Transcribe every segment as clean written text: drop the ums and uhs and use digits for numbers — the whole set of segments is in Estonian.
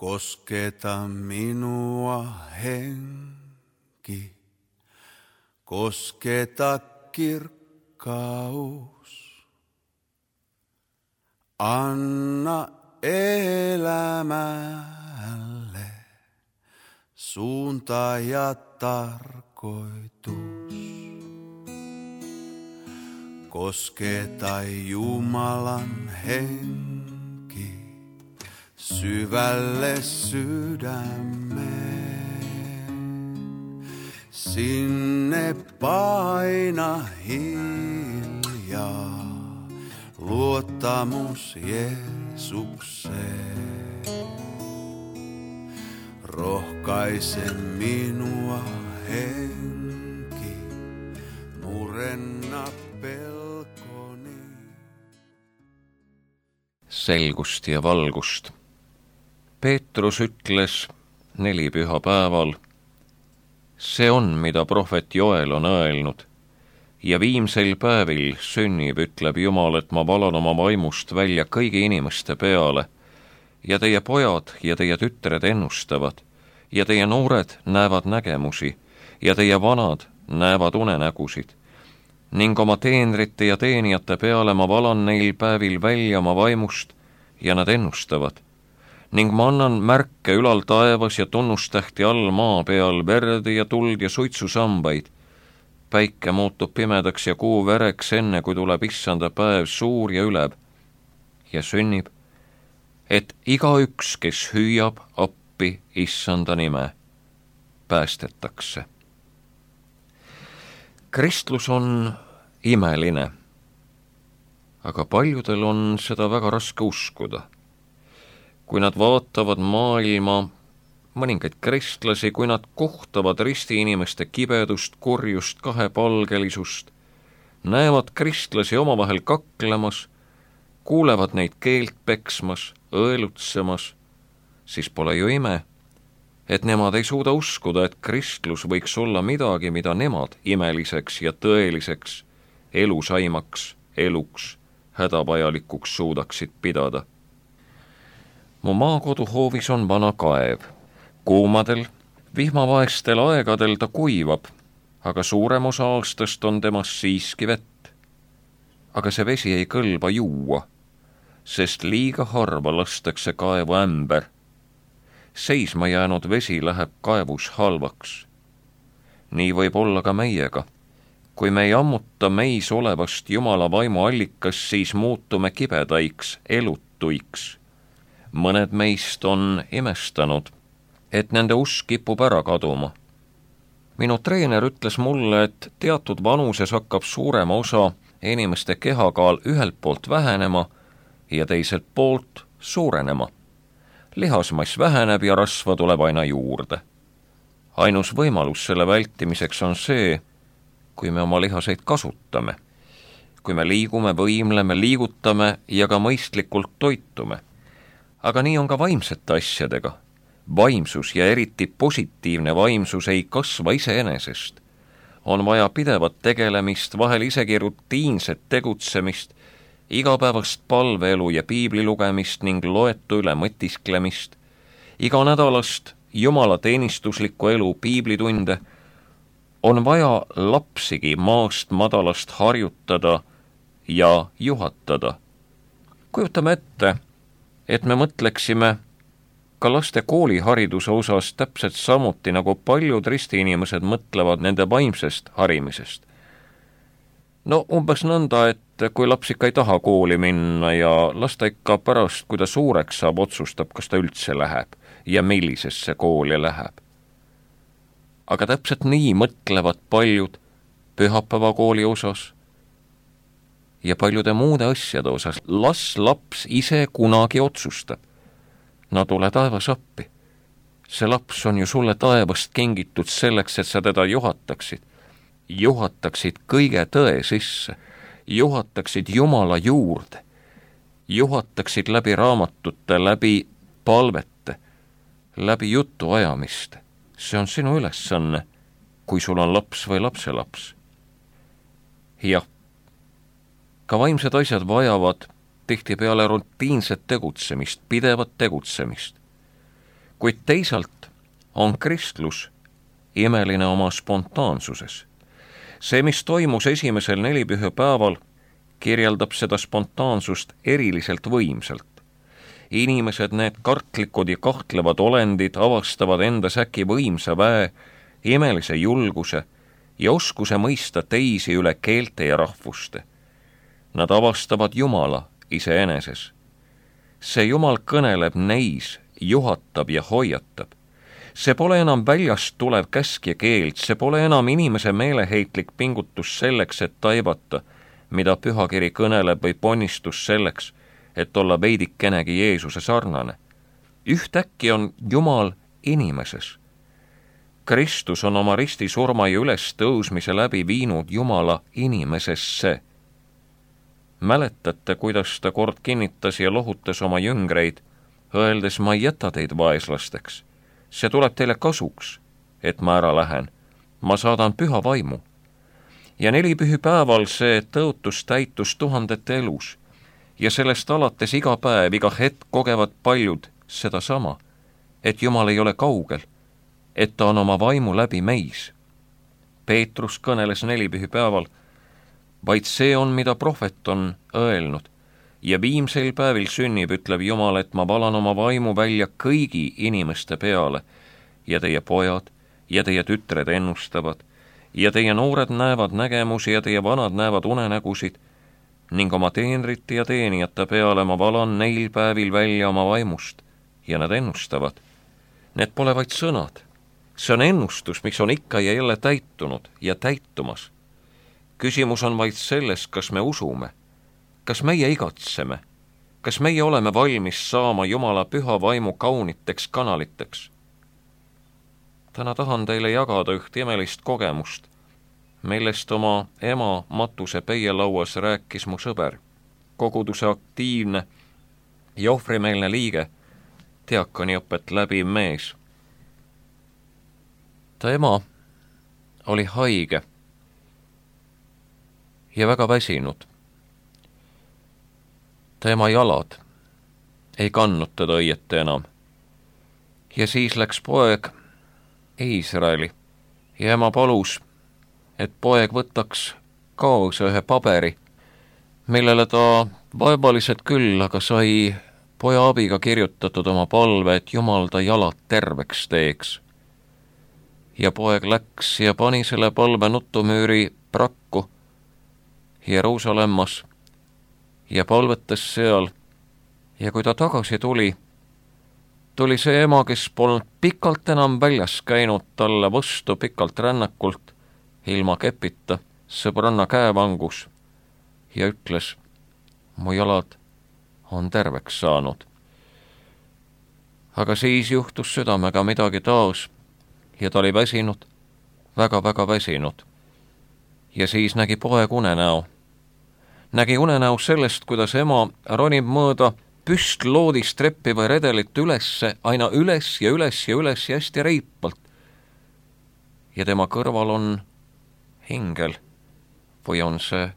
Kosketa minua henki, kosketa kirkkaus. Anna elämälle suunta ja tarkoitus. Kosketa Jumalan henki syvälle sydämeen. Sinne paina hiljaa luottamus Jeesukseen. Rohkaise minua henki, murenna pelkoni. Selgust ja valgust. Peetrus ütles 4 pühapäeval, see on, mida prohvet Joel on öelnud, ja viimsel päevil sünnib, ütleb Jumal, et ma valan oma vaimust välja kõigi inimeste peale, ja teie pojad ja teie tütred ennustavad, ja teie noored näevad nägemusi, ja teie vanad näevad unenägusid, ning oma teenrite ja teenijate peale ma valan neil päevil välja oma vaimust, ja nad ennustavad. Ning ma annan märke ülal taevas ja tunnustähti all maa peal, verd ja tuld ja suitsusambaid. Päike muutub pimedaks ja kuu vereks, enne kui tuleb issanda päev suur ja ülev. Ja sünnib, et igaüks, kes hüüab appi issanda nime, päästetakse. Kristlus on imeline, aga paljudel on seda väga raske uskuda. Kui nad vaatavad maailma, mõningaid kristlasi, kui nad kohtavad ristiinimeste kibedust, kurjust, kahepalgelisust, näevad kristlasi omavahel kaklemas, kuulevad neid keelt peksmas, õelutsemas, siis pole ju ime, et nemad ei suuda uskuda, et kristlus võiks olla midagi, mida nemad imeliseks ja tõeliseks, elusaimaks, eluks, hädavajalikuks suudaksid pidada. Mu maakoduhoovis on vana kaev. Kuumadel, vihmavaestel aegadel ta kuivab, aga suurem osa aastast on temas siiski vett. Aga see vesi ei kõlba juua, sest liiga harva lastakse kaevu ämber. Seisma jäänud vesi läheb kaevus halvaks. Nii võib olla ka meiega. Kui me ei ammuta meis olevast Jumala vaimu allikas, siis muutume kibedaiks, elutuiks. Mõned meist on imestanud, et nende usk kipub ära kaduma. Minu treener ütles mulle, et teatud vanuses hakkab suurema osa inimeste kehakaal ühelt poolt vähenema ja teiselt poolt suurenema. Lihasmass väheneb ja rasva tuleb aina juurde. Ainus võimalus selle vältimiseks on see, kui me oma lihaseid kasutame. Kui me liigume, võimleme, liigutame ja ka mõistlikult toitume. Aga nii on ka vaimsete asjadega. Vaimsus ja eriti positiivne vaimsus ei kasva iseenesest. On vaja pidevat tegelemist, vahel isegi rutiinset tegutsemist, igapäevast palveelu ja piibli lugemist ning loetu üle mõtisklemist, iga nädalast Jumala teenistuslikku elu piiblitunde. On vaja lapsigi maast madalast harjutada ja juhatada. Kujutame ette, et me mõtleksime ka laste koolihariduse osas täpselt samuti, nagu paljud ristiinimesed mõtlevad nende vaimsest harimisest. No umbes nõnda, et kui laps ikka ei taha kooli minna ja las ta ikka pärast, kui ta suureks saab, otsustab, kas ta üldse läheb ja millisesse kooli läheb. Aga täpselt nii mõtlevad paljud pühapäevakooli osas ja paljude muude asjade osas. Las laps ise kunagi otsustab. No tule taevas appi. See laps on ju sulle taevast kingitud selleks, et sa teda juhataksid. Juhataksid kõige tõe sisse. Juhataksid Jumala juurde. Juhataksid läbi raamatute, läbi palvete, läbi jutuajamiste. See on sinu ülesanne, kui sul on laps või lapselaps. Jah, ka vaimsed asjad vajavad tihtipeale rutiinset tegutsemist, pidevat tegutsemist. kuid teisalt on kristlus imeline oma spontaansuses. See, mis toimus esimesel nelipühapäeval, kirjeldab seda spontaansust eriliselt võimsalt. Inimesed, need kartlikud ja kahtlevad olendid, avastavad endas äkki võimsa väe, imelise julguse ja oskuse mõista teisi üle keelte ja rahvuste. Nad avastavad Jumala iseeneses. See Jumal kõneleb neis, juhatab ja hoiatab. See pole enam väljast tulev käsk ja keeld, see pole enam inimese meeleheitlik pingutus selleks, et taibata, mida pühakiri kõneleb, või ponnistus selleks, et olla veidikenegi Jeesuse sarnane. Ühtäkki on Jumal inimeses. Kristus on oma ristisurma ja ülestõusmise läbi viinud Jumala inimesesse. Mäletate, kuidas ta kord kinnitas ja lohutas oma jüngreid, öeldes, ma ei jäta teid vaeslasteks. See tuleb teile kasuks, et ma ära lähen. Ma saadan püha vaimu. Ja nelipühipäeval see tõotus täitus tuhandete elus. Ja sellest alates iga päev, iga hetk kogevad paljud sedasama, et Jumal ei ole kaugel, et ta on oma vaimu läbi meis. Peetrus kõneles nelipühipäeval, vaid see on, mida prohvet on öelnud. Ja viimsel päevil sünnib, ütleb Jumal, et ma valan oma vaimu välja kõigi inimeste peale ja teie pojad ja teie tütred ennustavad ja teie noored näevad nägemusi ja teie vanad näevad unenägusid ning oma teenrite ja teenijate peale ma valan neil päevil välja oma vaimust ja nad ennustavad. Need pole vaid sõnad. See on ennustus, mis on ikka ja jälle täitunud ja täitumas. Küsimus on vaid selles, kas me usume. Kas meie igatseme? Kas meie oleme valmis saama Jumala püha vaimu kauniteks kanaliteks? Täna tahan teile jagada üht imelist kogemust, millest oma ema matuse peielauas rääkis mu sõber, koguduse aktiivne ja ohvrimeelne liige, diakoniõpet läbiv mees. Ta ema oli haige ja väga väsinud. Ta ema jalad ei kandnud teda õieti enam. Ja siis läks poeg Iisraeli ja ema palus, et poeg võtaks kaasa ühe paberi, millele ta vaevaliselt küll, aga sai poja abiga kirjutatud oma palve, et Jumal ta jalad terveks teeks. Ja poeg läks ja pani selle palve nutumüüri prakku Jeruusalemmas ja palvetas seal, ja kui ta tagasi tuli see ema, kes polnud pikalt enam väljas käinud, talle vastu pikalt rännakult, ilma kepita, sõbranna käevangus, ja ütles, mu jalad on terveks saanud. Aga siis juhtus südamega midagi taas, ja ta oli väsinud, väga-väga väsinud. Ja siis nägi poeg unenäo. Nägi unenäo sellest, kuidas ema ronib mõõda püstloodist treppi või redelit ülesse, aina üles ja üles ja üles ja hästi reipalt. Ja tema kõrval on ingel või on see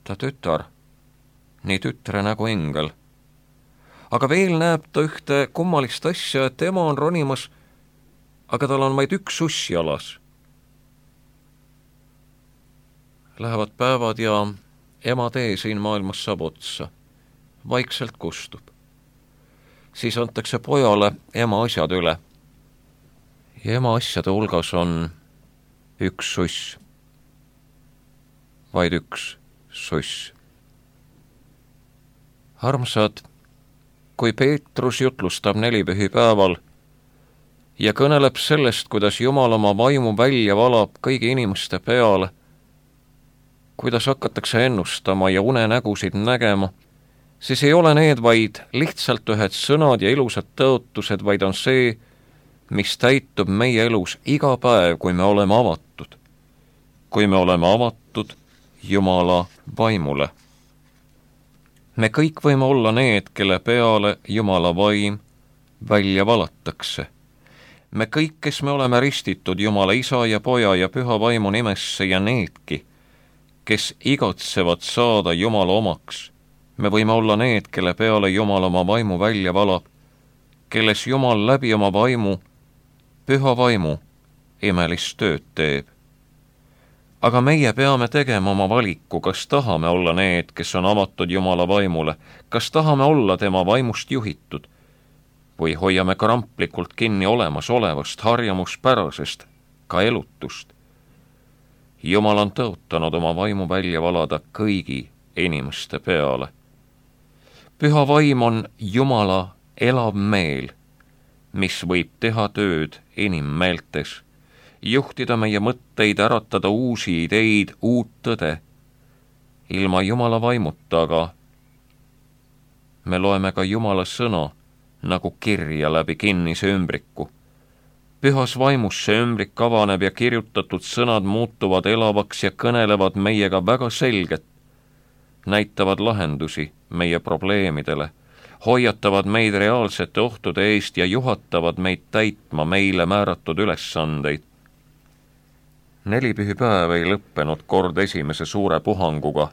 ta tütar, nii tütre nagu ingel. Aga veel näeb ta ühte kummalist asja, et ema on ronimas, aga tal on vaid üks suss jalas. Lähevad päevad ja ema tee siin maailmas saab otsa. Vaikselt kustub. Siis antakse pojale ema asjad üle. Ja ema asjade hulgas on üks suss. Vaid üks suss. Armsad, kui Peetrus jutlustab nelipühipäeval ja kõneleb sellest, kuidas Jumal oma vaimu välja valab kõigi inimeste peale, kuidas hakatakse ennustama ja unenägusid nägema, siis ei ole need vaid lihtsalt ühed sõnad ja ilusad tõotused, vaid on see, mis täitub meie elus iga päev, kui me oleme avatud. Kui me oleme avatud Jumala vaimule. Me kõik võime olla need, kelle peale Jumala vaim välja valatakse. Me kõik, kes me oleme ristitud Jumala Isa ja Poja ja Püha Vaimu nimesse ja needki, kes igatsevad saada Jumala omaks, me võime olla need, kelle peale Jumal oma vaimu välja valab kelles Jumal läbi oma vaimu, püha vaimu, imelist tööd teeb. Aga meie peame tegema oma valiku, kas tahame olla need, kes on avatud Jumala vaimule, kas tahame olla tema vaimust juhitud või hoiame kramplikult kinni olemasolevast harjamuspärasest, ka elutust. Jumal on tõotanud oma vaimu välja valada kõigi inimeste peale. Püha vaim on Jumala elav meel, mis võib teha tööd inimmeeltes, juhtida meie mõtteid, äratada uusi ideid, uut tõde. Ilma Jumala vaimuta aga me loeme ka Jumala sõna nagu kirja läbi kinnise ümbriku. Pühas vaimus see ümbrik avaneb ja kirjutatud sõnad muutuvad elavaks ja kõnelevad meiega väga selget, näitavad lahendusi meie probleemidele, hoiatavad meid reaalsete ohtude eest ja juhatavad meid täitma meile määratud ülesandeid. Nelipühipäev ei lõppenud kord esimese suure puhanguga.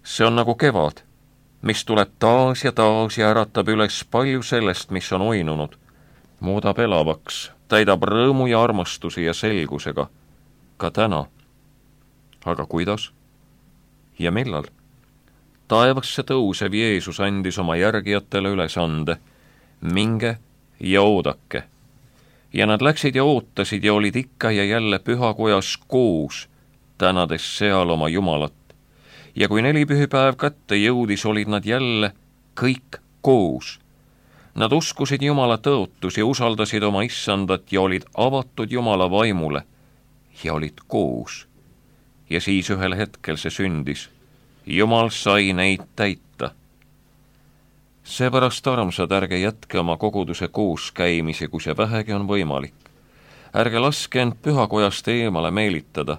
See on nagu kevad, mis tuleb taas ja äratab üles palju sellest, mis on uinunud, muudab elavaks, täidab rõõmu ja armastusi ja selgusega, ka täna. Aga kuidas? Ja millal? Taevasse tõusev Jeesus andis oma järgijatele ülesande, minge ja oodake. Ja nad läksid ja ootasid ja olid ikka ja jälle pühakojas koos, tänades seal oma Jumalat. Ja kui nelipühipäev kätte jõudis, olid nad jälle kõik koos. Nad uskusid Jumala tõotusi, usaldasid oma issandat ja olid avatud Jumala vaimule ja olid koos. Ja siis ühel hetkel see sündis. Jumal sai neid täita. Seepärast, armsad, ärge jätke oma koguduse kooskäimisi, kui see vähegi on võimalik. Ärge laske end pühakojast eemale meelitada.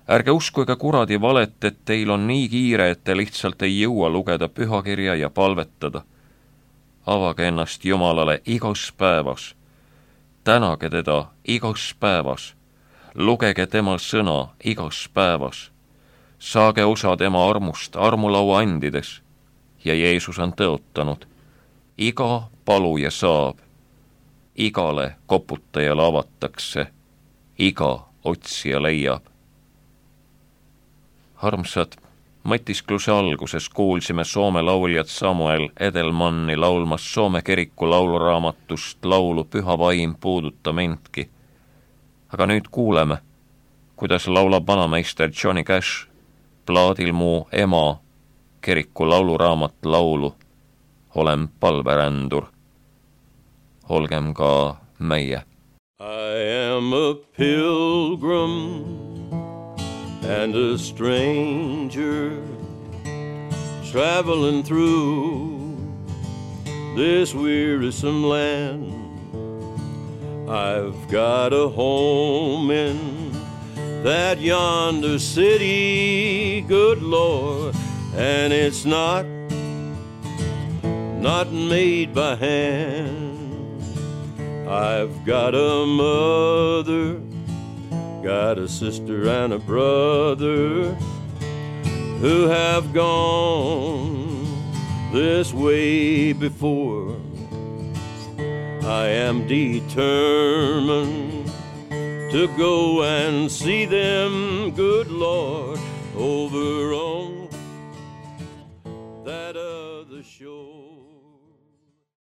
Ärge uskuge kuradi valet, et teil on nii kiire, et te lihtsalt ei jõua lugeda pühakirja ja palvetada. Avage ennast Jumalale igas päevas. Tänage teda igas päevas. Lugege tema sõna igas päevas. Saage osa tema armust armulaua andides. Ja Jeesus on tõotanud. Iga paluja saab. Igale koputajale avatakse. Iga otsija leiab. Armsad, mõtiskluse alguses kuulsime Soome lauljat Samuel Edelmanni laulmas Soome kiriku lauluraamatust laulu Püha vaim puuduta mindki. Aga nüüd kuuleme, kuidas laulab vanameister Johnny Cash plaadil Mu ema kiriku lauluraamat laulu Olen palverändur. Olgem ka meie. I am a pilgrim and a stranger traveling through this wearisome land. I've got a home in that yonder city, good Lord, and it's not made by hand. I've got a mother, got a sister and a brother who have gone this way before. I am determined to go and see them, good Lord, over on that other shore.